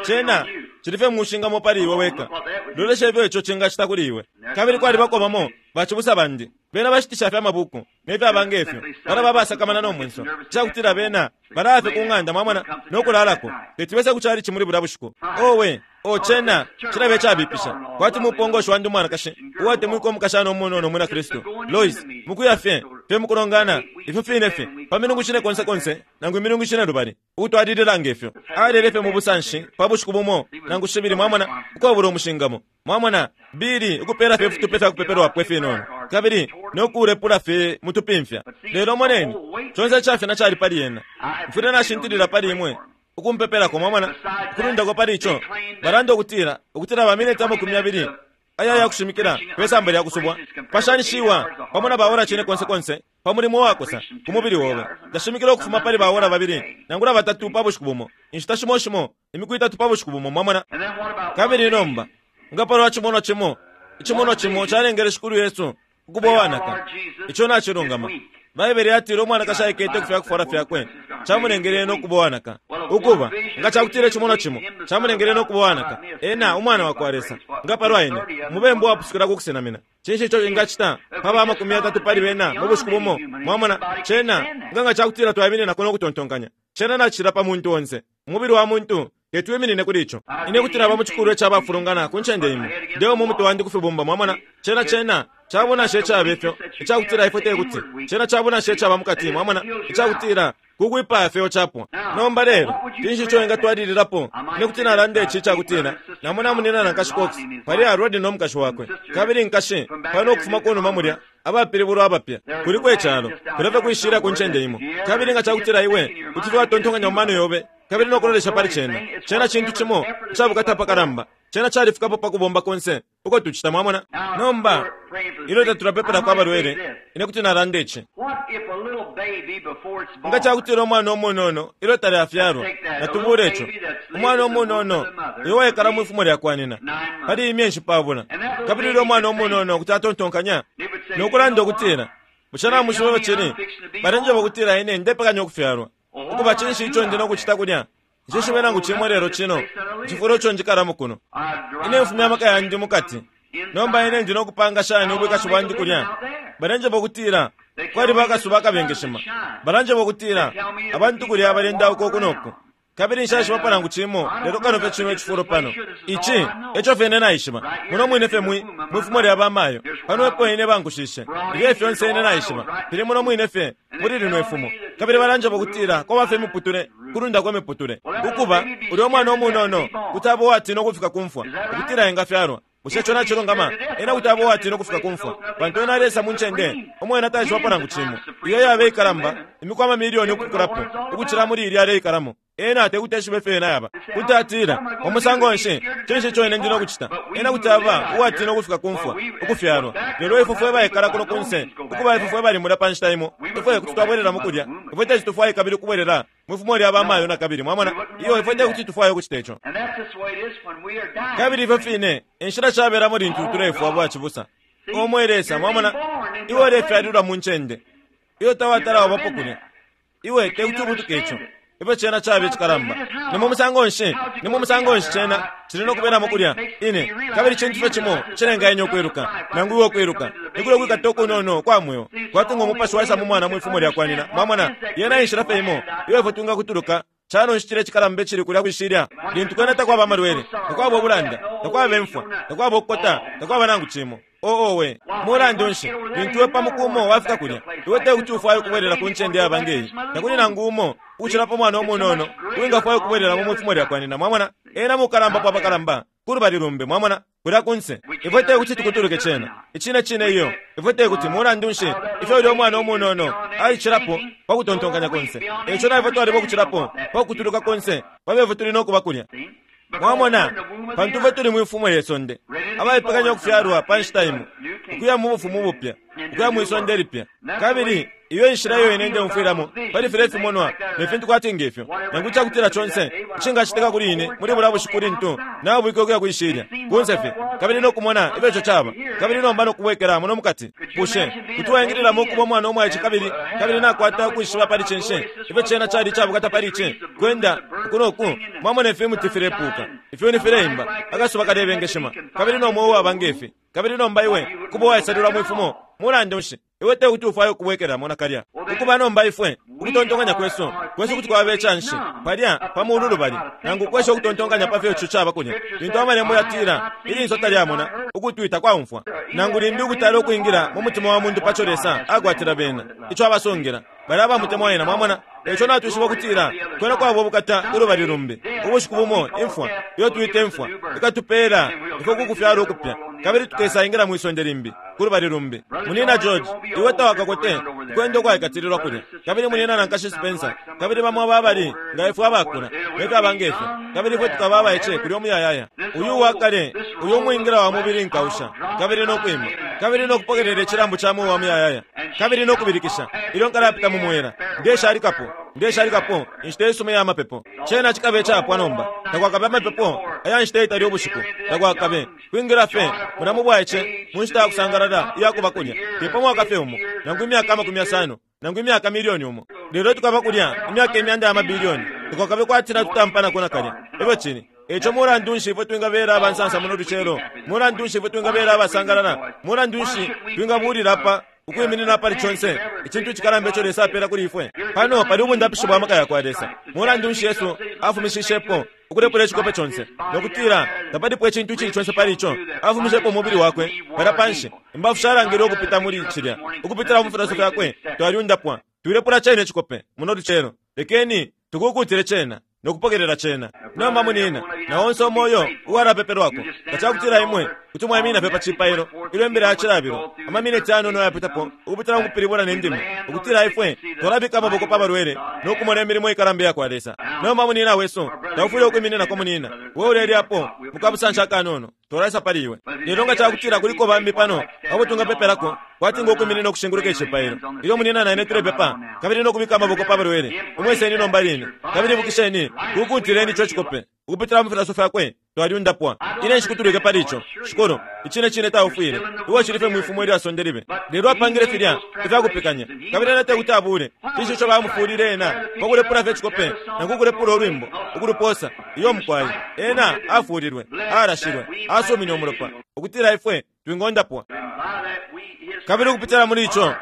cena cili fye mushingamo pali iwe weka. Lolesha ifyo ico cingacita kuli iwe. Kabili kwalibako bamo bacibusa bandi, bena bashitisha fye amabuku ne fyaba nge fyo, balaba abasakamana no mwenso icakutila bena balaya fye ku ng'anda, mwamona, no kulalako, teti bese ku chalichi muli bulya bushiku. Owe, o cena cilaba icabipisha, kwati mupongoshi wandi umwanakashi uwatemwikwa umukashana umunono umwina Kristu, Lois, mukuya fye fye mukulongana ifyo fine fye pa milungu cine konse konse nangu imilungu cine lubali, ukutwalilila nge fyo. Alele fye mu busanshi pa bushiku bumo nangu shibili, mwamona, ukwabula umushingamo. Mwamona, Billy ukupela fye ifitupe fya kupepelwapo ifinono, kabili no kuulepula fye mutupimfya. Lelo moneni, conse icafina cali pali ena. Mfwile nashintilila pali imwe ukumpepelako, mwamona. Ukulundako pali ico, balanda ukutila, ukutila ba mineti 20 aya ya kushimikila pe samba lya kusubwa pashanishiwa pamo na baora cine konse konse pa mulimo wakosa ku mubili obe. Ndashimikila ukufuma pali baora 2 nangula 3 pa bushiku bumo, inshita shimo shimo imiku 3 pa bushiku bumo, mwamona. Kabili nomba nga palwa cimonwa cimo, icimonwa cimo calengele Shikulu Yesu ukuba uwanaka. Ico nacilungama. Baibele yatile umwanakashi aikete ku fyakufwala fyakwe, camulengele ena ukuba uwanaka. Ukuba, nga cakutila icimonwa cimo camulengele ena ukuba uwanaka, ena umwana wakwa Lesa, nga palwa ine, umubembu uwapusukila ku kusenamina, cinshi ico ingacita pa ba 30 pali bena mu bushiku bumo? Mwamona, cena nga nga cakutila twaimininako no kutontonkanya, cena nacicila pa muntu onse. Umubili wa muntu teti wiminine kuli ico. Ine kuti naba mu cikulwa ica bafulungana ku ncende imo, ndeuma umutwe wandi ku fibumba. Mwamona, cena cena cabunasha icaba ifyo, icakutila ifwe tekuti. Cena cabunasha icaba mukati, mwamona, icakutila kukwipaya fye capwa. Nomba lelo, cinshi ico engatwalililapo? Ine kuti nalanda ici icakutila namona munina na Nkashi Cox pali Rod no mukashi wakwe, kabili nkashi pano ukufuma kunuma mulya, abapilibulwa abapya kuliko icalo, kulya fye kwishila ku ncende imo. Kabili nga cakutila iwe kuti fye watontonkanya mu mano yobe kabili no kulolesha pali cena, cena cintu cimo icabukata apakalamba. Cena califikapo pa kubomba konse uko tucita, mwamona. Nomba ilyo tatulapepelako abalwele, ine kuti nalanda ici. Nga cakutila umwana umunono ilyo talafyalwa, natubule ico, umwana umunono uyo waikala mwifumo lya kwa nyina pali iyi myeshi 10, kabili ulya umwana umunono kuti atontonkanya no kulanda ukutila, bushe namwishiba ifyo cili? Balenjeba ukutila ine ndepekanya ukufyalwa. Ukuba, cinshi ico ndi no kucita kulya? Nshishibe nangu cimo lelo cino cifulo ico njikalamo kuno. Ine mfumya amaka yandi mukati. Nomba ine ndi no kupanga shani ubwikashi bwandi kulya? Balenjeba ukutila kwaliba akasuba akabengeshima. Balanjeba ukutila abantu kulya balendauka uku no ku. Kabili nshaishibapo nangu cimo lelo kano fye cino icifulo pano. Ici eco fye ine naishiba. Muno mwine fye mwi, mwi fumo lya bamayo, pano epo ine bankushishe. Ilyo fyonse ine naishiba fili muno mwine fye muli lino ifumo. Kabili balanjeba ukutila kwaba fye imiputule, kulundako imiputule. Ukuba, ulya umwana umunono kuti aba uwatina ukufika ku mfwa, ukutila engafyalwa. Bushe ico nacilungama? Ena kuti aba uwatina ukufika ku mfwa, pantu ena alesa mu ncende umo ena taishibapo nangu cimo, iyo iyaba ikalamba imiku amamilioni ukukulapo ukucila muli ilya aleikalamo. Ena tekuti eshibe ifyo yena yaba. Kuti atila, Wa musango nshi? Cinshi ico ine ndi no kucita? Ena kuti aba uwatina ukufika ku mfwa, ukufyalwa. Lelo ifwe fwe baikala kuno kunse, ukuba ifwe fwe bali mulya pa nshita imo, ifwe kuti twabwelelamo kulya. Ifwe teti tufwaye kabili ukubwelela mwi fumo lya bamayo nakabili. Mwamona? Iyo, ifwe tekuti tufwaye ukucita ico. Kabili ifyo fine enshila cabelamo lintu tulefwa, bwacibusa. O mwe Lesa, mwamona, iwe ulefyalilwa mu ncende iyo tawatala wabapo kulya. Iwe tekuti ubutuke ico. Ifyo cena caba icikalamba! Ni mu musango nshi, ni mu musango nshi cena cili no kubelamo kulya? Ine, kabili cintu fye cimo icilenga ine ukwiluka, nangu iwe ukwiluka, ni kulya kwikata ukunono ukwa mweo, kwati ngo mupashi waisa mu mwana mwi fumo lyakwa nyina. Mwamona? Yena e nshila fye imo iyo ifwe twingakutuluka. Calo nshi cilya icikalamba icili kulya kwi shilya, lintu kwena takwaba amalwele, takwaba ubulanda, takwaba imfwa, takwaba ukukota, takwaba nangu cimo? Oo, owe! Mulandu nshi, lintu iwe pa muku umo wafika kulya, iwe tekuti ufwaye ukubwelela ku ncende yaba nge yi. Takuli nangu umo, ukucila pa mwana umunono, uwingafwaya ukubwelelamo mwi fumo lyakwa nyina. Mwamona? Ena mukalambapo apakalamba, ku lubali lumbi, mwamona, kulya kunse. Ifwe tekuti tukutuluke cena. Icine cine iyo. Ifwe tekuti. Mulandu nshi, ifyo ulya umwana umunono alicilapo pa kutontonkanya konse, eico na ifwe twaliba ukucilapo pa kukutuluka konse pa fyo ifwe tuli no kuba kulya. Mwamona, pantu ifwe tuli mwi fumo lye sonde, abaipekanya ukufyalwa pa nshita imo, ukuya mu Bufumu bupya, ukuya mwi sonde lipya. Kabili iyo enshila iyo ine ndeumfwilamo pali filya ifimonwa ne fintu kwati nge fyo, nangu icakutila conse icingacitika kuli ine muli bulya bushiku lintu nabwike ukuya kwi shilya, kunse fye, kabili no kumona ifyo ico caba, kabili nomba no kubwekela muno mukati. Bushe kuti waingililamo ukuba umwana umwaice kabili, kabili nakwata ukwishiba pali cinshi, ifyo cena cali icabukata pali ici, kwenda uku no ku, mwamona ifimuti filepuuka, ifyuni fileimba, akasuba kalebengeshima, kabili no mweo uwaba nge fi, kabili nomba iwe kuba uwaisalilwa mwi fumo? Mulandu nshi, iwe te kuti ufwaye ukubwekelamo nakalya. Ukuba nomba ifwe, ukutontonkanya kwesu, kwesu kuti kwaba icanshi, palya pa mulu lubali, nangu ukwesha ukutontonkanya pa fyo ico caba kulya, lintu Amalembo yatila, Ilinso talyamona, ukutwi takwaumfwa, nangu limbi ukutala ukwingila mu mutima wa muntu paco Lesa akwatila bena, ico abasungila balya abamutemwa Ena. Mwamona? Eico natwishiba ukutila kwena kwaba ubukata ulubali lumbi. Ubushiku bumo imfwa, iyo twita imfwa, ikatupela ifwe ku kufyalwa ukupya, kabili tukesaingila mwi sonde limbi, ku lubali lumbi. Munyina George, iwe tawakakote ukwenda ukwaikatililwa kulya. Kabili Munyina na Nkashi Spencer, kabili bamo aba abali nga ifwe abakula, ne fyaba nge fyo, kabili ifwe tukaba abaice kulya umuyayaya. Uyu uwakale, uyu umwingila wa mubili nkausha, kabili no kwima, kabili no kupokelela icilambu ca mweo wa muyayaya, kabili no kubilikisha, ilyo nkalapita mu mwela, Ndeshalikapo, ndeshalikapo inshita isuma iya mapepo. Cena cikaba icapwa nomba. Takwakabe amapepo aya nshita itali ubushiku. Takwakabe. Kwingila fye mulya mu bwaice, mu nshita ya kusangalala iya kuba kulya, te pa mwaka fye umo, nangu imyaka amakumi yasano, nangu imyaka milioni umo, lelo tukaba kulya imyaka imyanda ya mabilioni. Takwakabe kwati natutampanako nakalya. Efyo cili. Eico mulandu nshi ifwe twingabela aba nsansa muno lucelo? Mulandu nshi ifwe twingabela abasangalala? Mulandu nshi twingabuulila apa ukwiminina apali conse icintu icikalamba ico Lesa apela kuli ifwe? Pano pali ubundapishi bwa maka yakwa Lesa. Mulandu nshi Yesu afumishishepo ukulepula icikope conse, no kutila tapalipo icintu icili conse pali ico? Afumishepo umubili wakwe palya panshi. Imbafu shalangilwe ukupita muli cilya. Ukupitila mu filaso fyakwe twalyundapwa. Twilepula cena icikope muno lucelo. Lekeni tukukutile cena no kupokelela cena. Nomba, munina, na onse umo uyo uwalapepelwako, nga cakutila imwe kuti mwaiminina fye pa cipailo ilyo imbila ya cilabilo, ama mineti ayanono ayapitapo, ukupitila mukupilibula ne ndimi, ukutila ifwe twalabika amaboko pa balwele no kumona imilimo ikalamba iyakwa Lesa. Nomba, munina wesu, taufwile ukwimininako, munina, we ulelyapo mukabusanshi akanono. Twalaisa pali iwe. Lelo nga cakutila kuliko bambi pano abo twingapepelako, kwati ngo kwiminina ukushinguluka icipailo, ilyo munyina na ine tulepepa, kabili no kubika amaboko pa balwele, imwe iseni nomba line. Kabili ibukisheni, kukuntileni ico cikope, ukupitila mu filaso fyakwe twalyundapwa. Ine nshikutulwike pali ico, Shikulu. Icine cine taufwile. Iwe ucili fye mwifumo ilya sonde libe. Lelo apangile filya ifyakupekanya, kabili ena tekuti abuule. Cinshi ico bamufuulile ena pa kulepula fye icikope nangu ukulepula ulwimbo, ukuluposa? Iyo, mukwai. Ena afuulilwe, alashilwe, asumine umulopa, ukutila ifwe twingondapwa. Kabili ukupitila muli ico,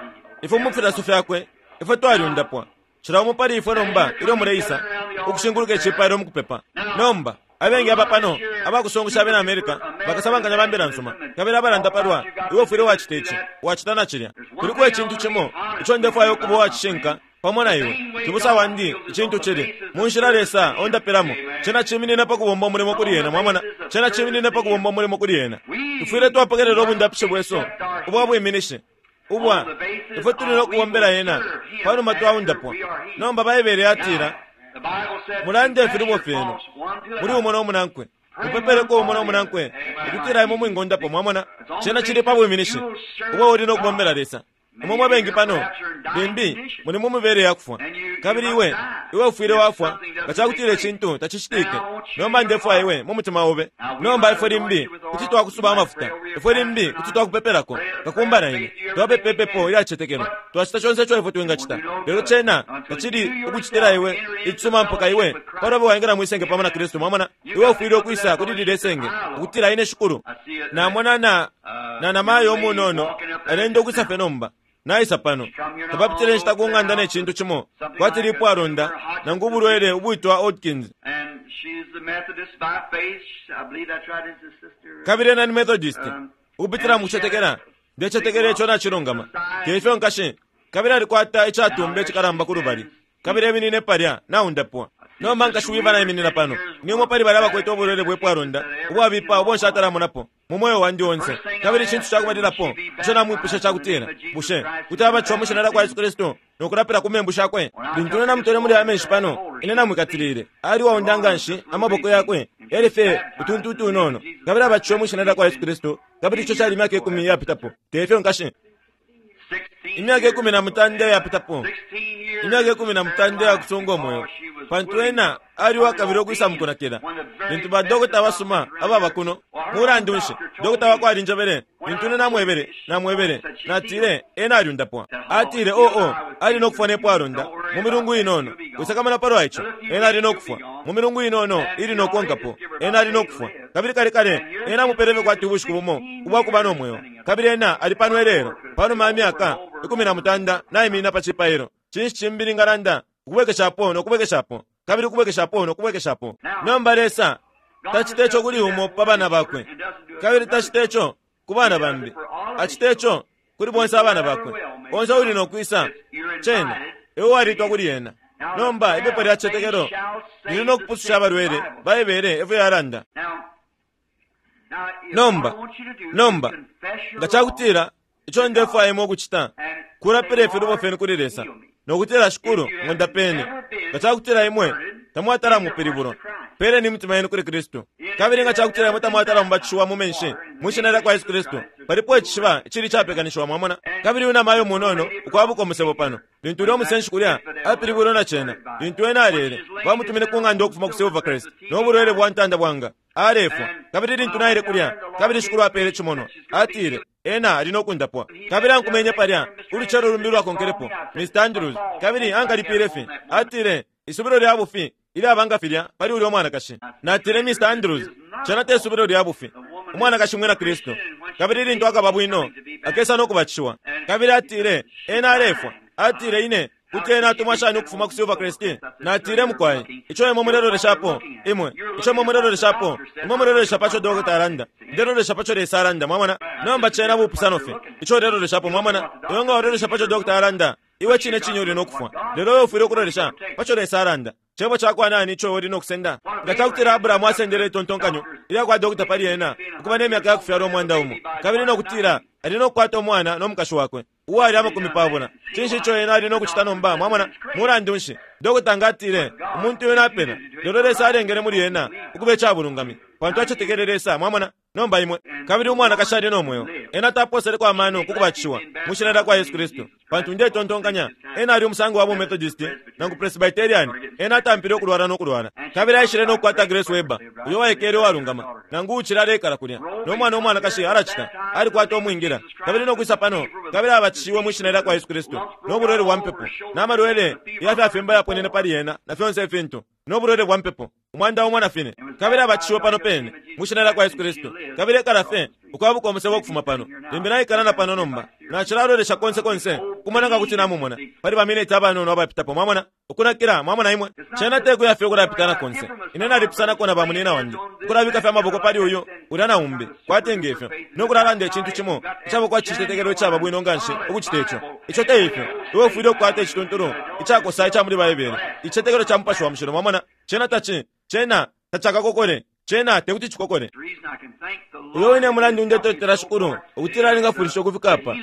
ifwe mu filaso fyakwe, ifwe twalyundapwa. Cila umo pali ifwe nomba ilyo muleisa ukushinguluka icipailo mukupepa. Nomba, abengi aba pano abakusungusha abena America, bakasabankanya ba mbila nsuma, kabili abalanda palwa iwe ufwile wacita ici, wacita na cilya. Kuliko icintu cimo ico ndefwaya ukuba uwacishinka pamo na iwe, cibusa wandi, icintu cili, mu nshila Lesa ondapilamo, cena ciminina pa kubomba umulimo kuli Ena. Mwamona? Cena ciminina pa kubomba umulimo kuli Ena. Tufwile twapokelela ubundapishi bwesu ubwa bwiminishi. Ubwa, ifwe tuli no kubombela Ena panuma twaundapwa. Nomba Baibele yatila, Mulande ifilubo fyenu muli umo no munankwe. Mupepeleko umo no munankwe ukutila imwe mwingondapo. Mwamona, cena cili pa bwiminishi ubo uli no kubombela Lesa. Imwe mwe bengi pano limbi muli mu mibele ya kufwa, kabili iwe, iwe ufwile wafwa nga cakutila icintu tacicitike. Nomba ndefwaya iwe mu mutima obe. Nomba ifwe limbi kuti twakusuba amafuta, ifwe limbi kuti twakupepelako. Kakumba na ine twapepa ipepo ilya cicetekelo, twacita conse ico ifwe twingacita, lelo cena tacili ukucitila iwe icisuma mpaka iwe palobe waingila mwisenge pamo na Kristu. Mwamona, iwe ufwile ukwisa kuli lilye senge ukutila ine Shikulu namona na na namayo umunono alenda ukwisa fye nomba. Naisa pano. Tapapitile inshita ku ng'anda ne cintu cimo kwati lipwalonda nangu ubulwele ubwitwa Hodgkin's. Kabili ena ni Methodist, ukupitila mu kucetekela. Ndecetekela ico nacilungama. Te ifyo, nkashi? Kabili alikwata icatumba icikalamba kulubali. Kabili eminine palya, naundapwa. Nomba Nkashi Weaver naiminina pano. Ni umo pali balya abakwete ubulwele bwe pwalonda ubwabipa ubo nshatalamona mu mweo wandi onse. Kabili icintu ca kubalilapo ico namwipwishe ca kutila, Bushe kuti abatishiwa mwi Shina lyakwa Yesu Kristu no kulapila ku membu shakwe? Lintu ine namutwele muli aya menshi pano, ine namwikatilile. Ali uwaonda nganshi, amaboko yakwe yali fye utuntu utunono. Kabili abatishiwe mwi Shina lyakwa Yesu Kristu, kabili ico cali imyaka ikumi iyapitapo. Te ifyo, nkashi? Imyaka 13 iyapitapo, imyaka 13 iyakusunga umweo, pantu ena ali uwakabila ukwisa mukunakila. Lintu ba dokota abasuma ababa kuno, mulandu nshi, dokota wakwe alinjebele, lintu ine namwebele, namwebele, natile, Ena alyundapwa. Atile, Oh, oh, ali no kufwa ne pwalonda, mu milungu inono. Wisakamana palwa ico. Ena ali no kufwa, mu milungu inono ili no konkapo. Ena ali no kufwa. Kabili kale kale, ena amupele fye kwati ubushiku bumo ubwa kuba no mweo. Kabili ena ali pano ilelo, panuma ya myaka 18, naiminina pa cipailo. Cinshi cimbi ningalanda? Ukubwekeshapo no kubwekeshapo, kabili ukubwekeshapo no kubwekeshapo. Nomba, Lesa tacita ico kuli umo pa bana Bakwe, kabili tacita ico ku bana bambi. Acita ico kuli bonse abana Bakwe. Onse uuli no kwisa, cena, iwe walitwa kuli Ena. Nomba, ipepo lya cicetekelo lili no kupususha abalwele, Baibele efyo yalanda. Nomba, nomba, nga cakutila ico ndefwaya imwe ukucita kulapila ifilubo fyenu kuli Lesa, no kutila, Shikulu, ng'undapeni. Nga cakutila imwe tamwatala mupilibulwa, peleni imitima yenu kuli Kristu. Kabili nga cakutila imwe tamwatala mubatishiwa mu menshi mwi Shina lyakwa Yesu Kristu, palipo icishiba icili icapekanishiwa, mwamona. Kabili uyu namayo munono ukwabuka umusebo pano, Lintu ulya umusenshi kulya apilibwilwe na cena, lintu ena alele, bamutumine ku ng'anda ukufuma ku Silvercrest no bulwele bwa ntanda bwanga, alefwa. Kabili lintu naile kulya, kabili Shikulu apele icimonwa, atile, Ena ali no kundapwa. Kabili ankumenye palya ulucelo lumbi ulwakonkelepo, Mr. Andrews, kabili ankalipile fye. Atile, Isubilo lya bufi ilyaba nga filya pali ulya umwanakashi. Natile, Mr. Andrews, cena te subilo lya bufi. Umwanakashi mwina Kristu. Kabili lintu akaba bwino, akesa no kubatishiwa. Kabili atile, Ena alefwa. Atile, Ine kuti ena atumwa shani ukufuma ku Silvercrest? Natile, Mukwai, ico imwe muleloleshapo, imwe, ico imwe muleloleshapo, imwe mulelolesha paco dokota alanda. Ndelolesha paco Lesa alanda, mwamona. Nomba cena bupusano fye, ico uleloleshapo, mwamona. Iwe nga walolesha paco dokota alanda, Iwe cine cine uli no kufwa. Lelo iwe ufwile ukulolesha pa co Lesa alanda. Cebo ca kwa nani ico iwe uli no kusenda? Nga ca kutila Abrahamu asendele itontonkanyo ilya kwa dokota pali ena ukuba ne myaka ya kufyalwa 100, kabili no kutila ali no kukwata umwana no mukashi wakwe uwali 20, cinshi ico ena ali no kucita nomba? Mwamona? Mulandu nshi, dokota nga atile, Umuntu uyu napena. Lelo Lesa alengele muli ena ukuba icabulungami, pantu acetekele Lesa. Mwamona? Nomba imwe. Kabili umwanakashi ali no mweo. Ena taposeleko amano ku kubatishiwa mwi Shina lyakwa Yesu Kristu, pantu ndetontonkanya ena ali umusango wa bu Methodist nangu Presbyterian. Ena atampile ukulwala no kulwala. Kabili aishile no kukwata Grace Weber, uyo waikele uwalungama, nangu uucili aleikala kulya, no mwana umwanakashi alacita, alikwata umwingila, kabili no kwisa pano, kabili abatishiwe mwi Shina lyakwa Yesu Kristu, no bulwele bwa mpepo, na malwele ya fyafimba yaponene pali ena, na fyonse ifintu. no bulwele bwa mpepo, 14, kabili abatishiwe pano pene mwi Shina lyakwa Yesu Kristu, kabili ekala fye ukwabuka umusebo ukufuma pano. Limbi naikala na pano nomba. Nacilalolesha konse konse ukumona nga kuti namumona pali ba mineti abanono abapitapo, mwamona, ukunakila, mwamona imwe. Cena te kuya fye ukulapitana konse. Ine nalipusanako na ba munina wandi, ukulabika fye amaboko pali uyu, ulya na umbi, kwati nge fyo, no kulalanda icintu cimo icaba kwati citetekelo icaba bwino nganshi ukucita ico. Ico te ifyo. Iwe ufwile ukukwata icituntulu icakosa ica muli Baibele, icitetekelo ca Mupashi wa Mushilo. Mwamona? Cena taci, cena tacakakokole. Cena tekuti cikokole. Uyo wine mulandu ndetotela Shikulu ukutila alingafwilisha ukufika apa,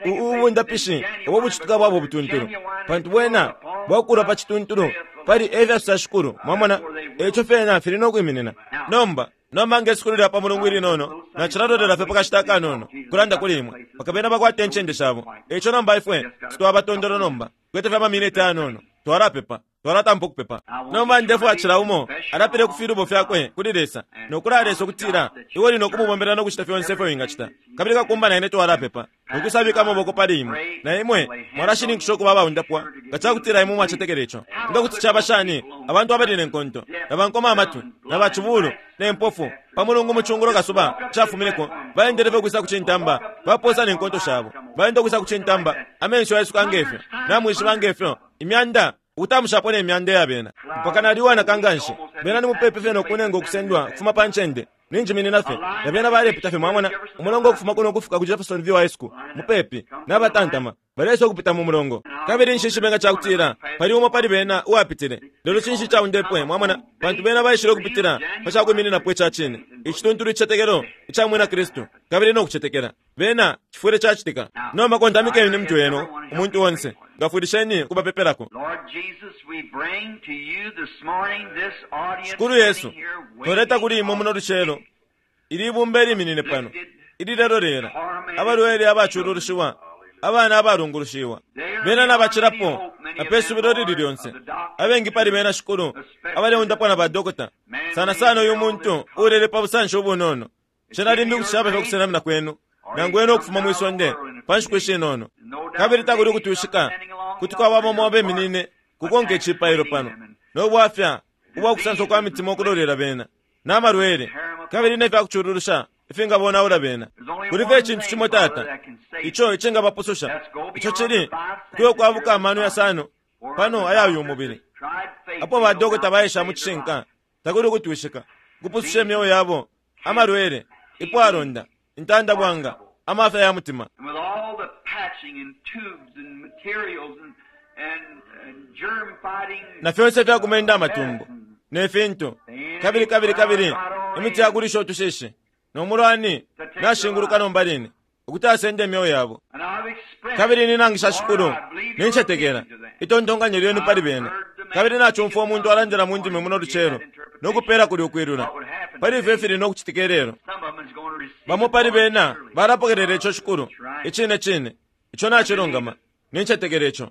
u, ubundapishi ubo bucitika bwabo butuntulu, pantu bwena bwakulwa pa cituntulu. Pali efya Shikulu, mwamona, eico fyena fili no kwiminina. Nomba, nomba nge sukulu lya pa Mulungu ilinono, nacilalolela fye pakashita akanono, ukulanda kuli imwe, mpaka bena bakwate incende shabo. Eico nomba ifwe twaba tondolo nomba, tukwete fye amaminiti ayanono, twalapepa. Twalatampa ukupepa. Nomba ndefwaya cila umo alapile ku filubo fyakwe kuli Lesa, no kulaya Lesa ukutila iwe uli no kumubombela no kucita fyonse ifyo wingacita. Kabili kakumba na ine twalapepa, no kwisabika amaboko pali imwe, na imwe mwalashininkisha ukuba abaundapwa nga ca kutila imwe mwacetekela ico. Nga kuti caba shani abantu abali ne nkonto, na bankoma amatwi, na bacibulu, ne mpofu, pa Mulungu mu cungulo kasuba cafumineko, baendele fye ukwisa ku cintamba, bapoosa ne nkonto shabo, baenda ukwisa ku cintamba, amenso yaisuka nge fyo, namwishiba nge fyo, imyanda Ukutamushapo ne myanda ya bena, mpaka nali uwanaka nganshi. Bena ni mupepi fye no kunenga ukusendwa ukufuma pa ncende. Ninjiminina fye, na bena balepita fye, mwamona, umulongo ukufuma kuno ukufika ku Jeffersonville High School, mupepi, nabatantama, baleisa ukupita mu mulongo. Kabili nshishibe nga cakutila pali umo pali bena uwapitile. Lelo cinshi icaundepwe, mwamona, pantu bena baishile ukupitila pa cakwimininapo ica cine, icituntulu icicetekelo ica Mwinakristu, kabili no kucetekela. Bena, cifwile cacitika. Nomba kontamikeni imitwe yenu, umuntu onse. Ngafwilisheni ukubapepelako. Shikulu Yesu, twaleta kuli Imwe muno lucelo ili ibumba iliminine pano, ililelolela, abalwele abacululushiwa, abana abalungulushiwa. Bena nabacilapo na pe subilo lili lyonse. Abengi pali bena, Shikulu, abaleundapwa na badokota, sana sana uyu muntu uulele pa busanshi ubunono. Cena limbi kuti caba fye ukusenamina kwenu, nangu ena ukufuma mwi sonde pa nshiku ishinono. Kabili takuli ukutwishika kuti kwaba bamo abeminine kukonka icipailo pano, no bwafya ubwa kusanswa kwa mitima ukulolela bena, na malwele, kabili ne fya kucululusha ifingabonaula bena. Kuli fye icintu cimo, Tata, ico icingabapususha, ico cili kuya ukwabuka amano yasano pano aya uyu mubili. Apo ba dokota baesha mu cishinka, takuli ukutwishika, ukupususha imyeo yabo, amalwele, ipwalonda, intanda bwanga, amafya ya mutima. Na fyonse ifya kumenda amatumbo, ne fintu, kabili, kabili, kabili imiti ya kulisha utushishi, no mulwani nashinguluka nomba line, ukuti asende imyeo yabo. Kabili ninangisha, Shikulu, nincetekela itontonkanyo lyenu pali bena. Kabili nacumfwa umuntu alandila mu ndimi muno lucelo, no kupela kuli ukwilula pali ifyo ifili no kucitika ilelo. Bamo pali bena balapokelela ico, Shikulu. Icine cine, ico nacilungama. Nincetekela ico.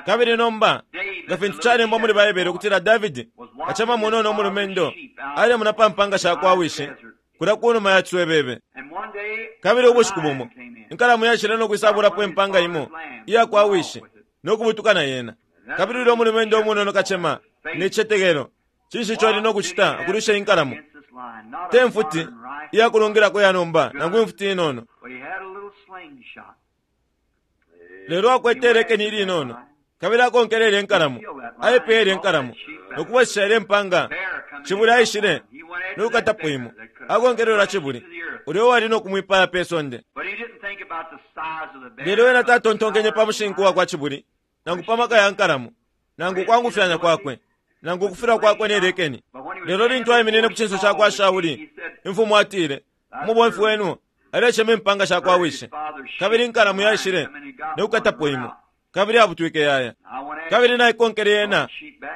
Kabili nomba, nga fintu calembwa muli Baibele ukutila Davidi, kacema munono umulumendo, alemona pa mpanga sha kwa wishi kulya ku numa ya ciswebebe. Kabili ubushiku bumo, inkalamu yaishile no kwisabulapo impanga imo iya kwa wishi, no kubutuka na yena. Kabili ulya umulumendo umunono kacema, ne cicetekelo, cinshi ico ali no kucita ukulwisha inkalamo? Te mfuti iya kulungilako ya nomba, nangu imfuti inono. Lelo akwete ilekeni ilinono, kabili akonkelele inkalamo, aipeye inkalamo, no kubwesesha ilya impanga. Cibuli aishile no kukatapo imo, akonkelele cibuli, ulya uwali no kumwipaya pe sonde. Lelo ena tatontonkenye pa mushinku wa kwa cibuli, nangu pa maka ya nkalamo, nangu ukwangufyanya kwakwe, nangu ukufilwa kwakwe ne lekeni. Lelo lintu aiminine ku cinso ca kwa Shauli, imfumu atile, Umubomfi wenu alecema impanga sha kwa wishi, kabili inkalamu yaishile no kukatapo imo, kabili abutwike yaya. Kabili naikonkele yena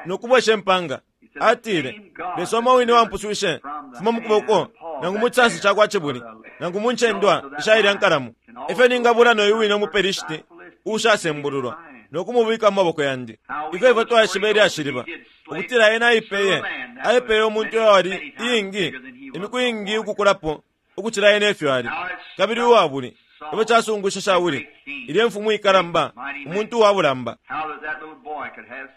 no kubwesha impanga. Atile, Lesa umo wine wampuswishe fuma mu kuboko nangu mu cisansa ca kwa cibuli nangu mu ncendwa isha ilya nkalamu, efyo ningabula no yu wine umuPelishiti uushasembululwa no kumubika mu maboko yandi. Ifyo ifwe twaishiba ilyashi liba ukutila ena aipeye, aipeye umuntu uyo wali iingi, imiku iingi ukukulapo ukucila ena ifyo ali, kabili uwabuli. Ifyo casungusha Shauli, ilye mfumu ikalamba, umuntu uwa bulamba.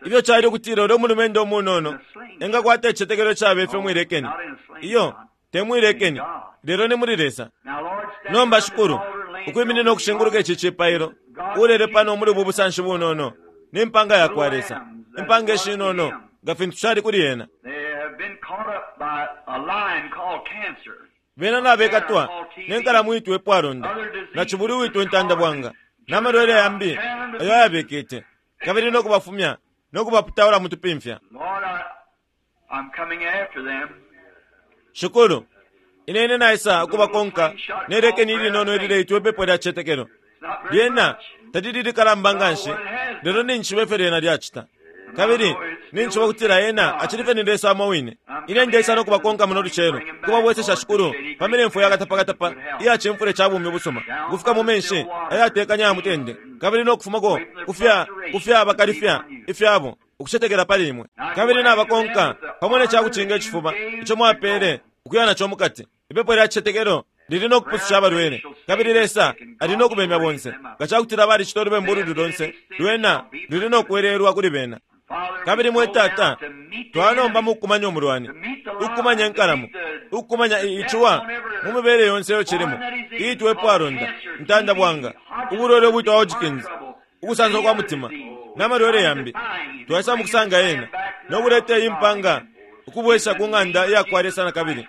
Ifyo cali ukutila ulyo mulumendo umunono engakwata icicetekelo icaba ifyo mwilekeni. Iyo, te mwilekeni, lelo ni muli Lesa. Nomba, Shikulu, ukwiminina ukushinguluka ici cipailo, ulele pano muli ubu busanshi bunono, ni mpanga yakwa Lesa, impanga ishinono, nga fintu cali kuli ena. Bena nabekatwa ne nkalamu iitwa ipwalonda, na cibuli uwitwa intanda bwanga, na malwele yambi ayo ayabekete, kabili no kubafumya no kubaputaula mu tupimfya. Shikulu, ine ine naisa ukubakonka ne lekeni ilinono ilileitwa ipepo lya cicetekelo. Lyena talili likalamba nganshi, lelo ninjishiba ifyo lyena lyacita. Kabili ninjishiba ukutila Ena acili fye ni Lesa umo wine. Ine ndeisa no kubakonka muno lucelo, ukubabwesesha, Shikulu, pa milemfwe ya katapakatapa iya cimfule ca bumi ubusuma, ukufika mu menshi ayatekanya ya mutende, kabili no kufumako kufya kufya bakalifya ifyabo, ukucetekela pali imwe. Kabili nabakonka pamo ne ca kucinga icifuba ico mwapele ukuya naco mukati. Ipepo lya cicetekelo lili no kupususha abalwele, kabili Lesa ali no kubemya bonse. Nga ca kutila balicita ulubembu ululi lonse, lwena luli no kwelelwa kuli bena. Kabili mwe Tata, twanomba mukukumanya umulwani, ukukumanya inkalamo, ukukumanya iciwa mu mibele yonse iyo cilimo, iitwa epwalonda, intanda bwanga, ubulwele ubwitwa Hodgkin's, ukusansa kwa mutima, na malwele yambi. Twaisa mukusanga yena, no kuleta iyi mpanga ukubwesha ku ng'anda iya kwa Lesa na kabili.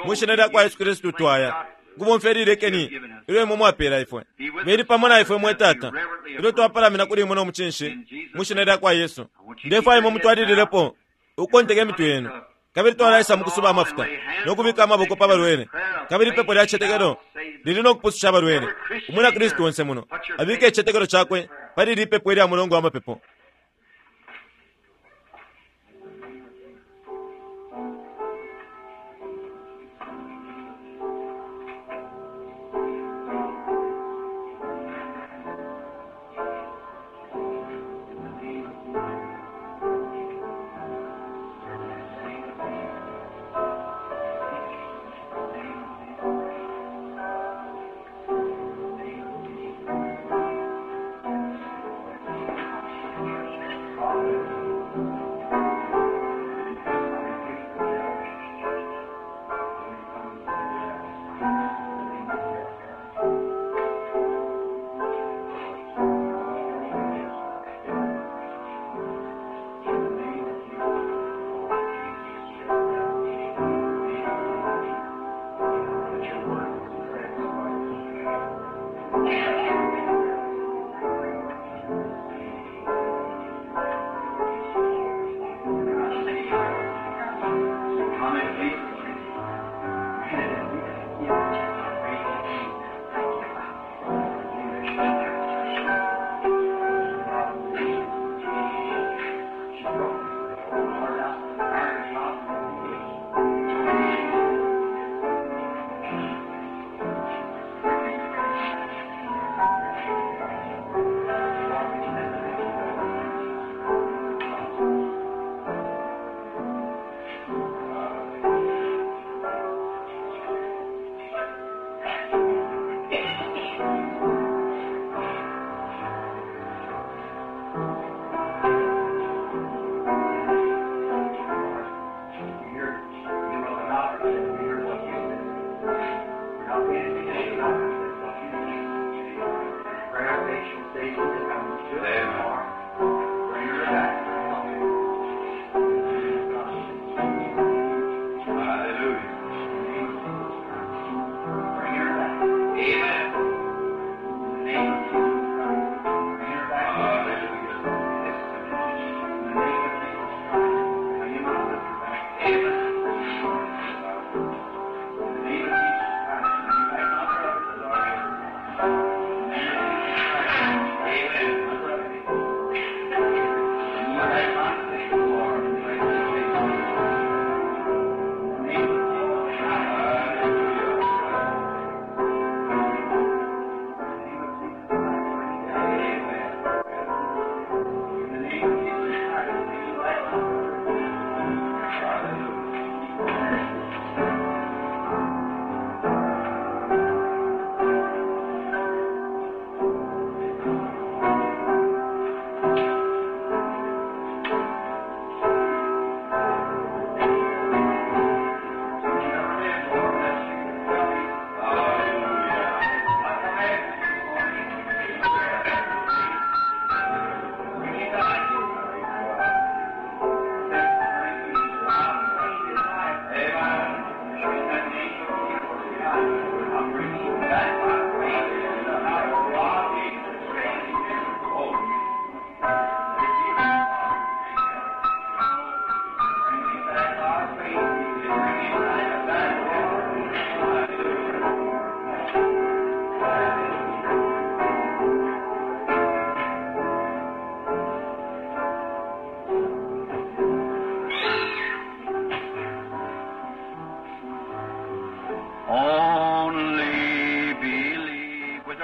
Mwi Shina lya kwa Yesu Kristu twaya, ukubomfya ili lekeni ilyo imwe mwapela ifwe. Beli pamo na ifwe, mwe Tata, ilyo twapalamina kuli imwe no mucinshi, mwi Shina lya kwa Yesu. Ndefwaya imwe mutwalililepo ukukonteka imitwe yenu. Kabili twalaisa mukusuba amafuta no kubika amaboko pa balwele, kabili ipepo lya cicetekelo lili no kupususha abalwele. Umwina Kristu onse muno abike icicetekelo cakwe pali ili ipepo ilya mulongo wa mapepo.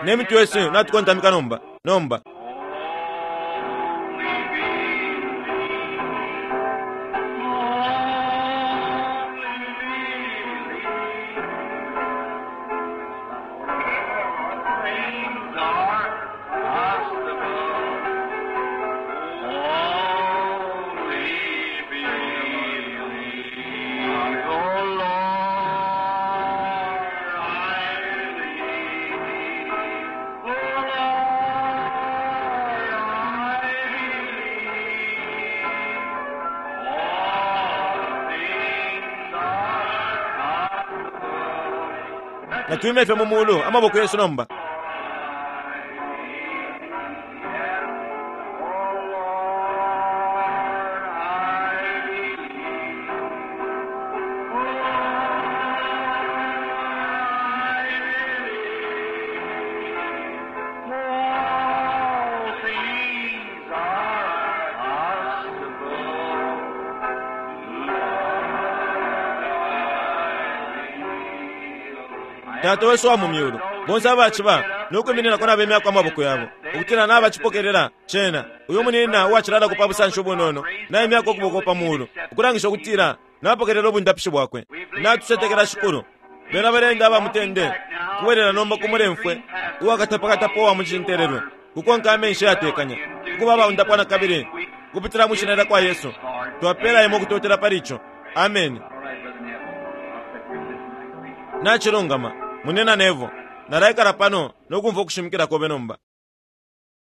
Ne mitwe yesu natukontamika nomba. Nomba. Things are possible. Only believe. Oh Lord, I believe. Oh Lord, I believe. All things are possible. Natuime fye mu mulu amaboko yesu nomba. Tata wesu wa mu myulu, bonse abaciba no kwimininako nabemyako amaboko yabo ukutila nabacipokelela cena. Uyo munina uwacilalako pa busanshi ubunono naimyako ukuboko pa mulu ukulangisha ukutila napokelela ubundapishi bwakwe. Natucetekela Shikulu. Bena balenda aba mutende kubwelela nomba ku mulemfwe uwakatapakatapa uwa mucintelelwe kukonka amenshi yatekanya ukuba abaundapwa na kabili kupitila mu shina lya kwa Yesu. Twapela imwe ukutotela pali ico. Ameni. Nacilungama munina Nevo, nalaikala pano no kumfwa ukushimikila kobe nomba.